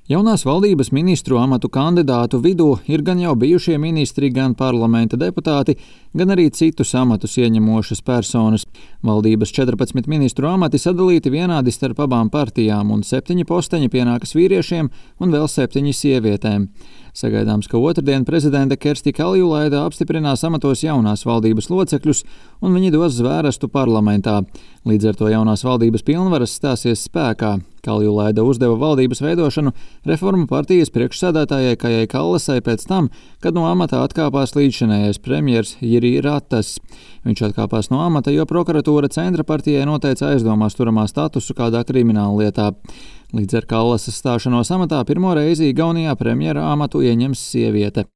Jaunās valdības ministru amatu kandidātu vidū ir gan jau bijušie ministri, gan parlamenta deputāti, gan arī citus amatus ieņemošas personas. Valdības 14 ministru amati sadalīti vienādi starp abām partijām, un 7 posteņi pienākas vīriešiem un vēl 7 sievietēm. Sagaidāms, ka otrdien prezidente Kersti Kaljulaida apstiprinās amatos jaunās valdības locekļus, un viņi dos zvērestu parlamentā. Līdz ar to jaunās valdības pilnvaras stāsies spēkā. Kaljulaida uzdeva valdības veidošanu Reformu partijas priekšsēdētājai Kajai Kallasai pēc tam, kad no amata atkāpās līdzšinējais premjers Jiri Ratas. Viņš atkāpās no amata, jo prokuratūra Centra partijai noteica aizdomās turamā statusu kādā krimināla lietā. Līdz ar Kallasas stāšanos amatā pirmo reizi Igaunijā premjera amatu ieņems sieviete.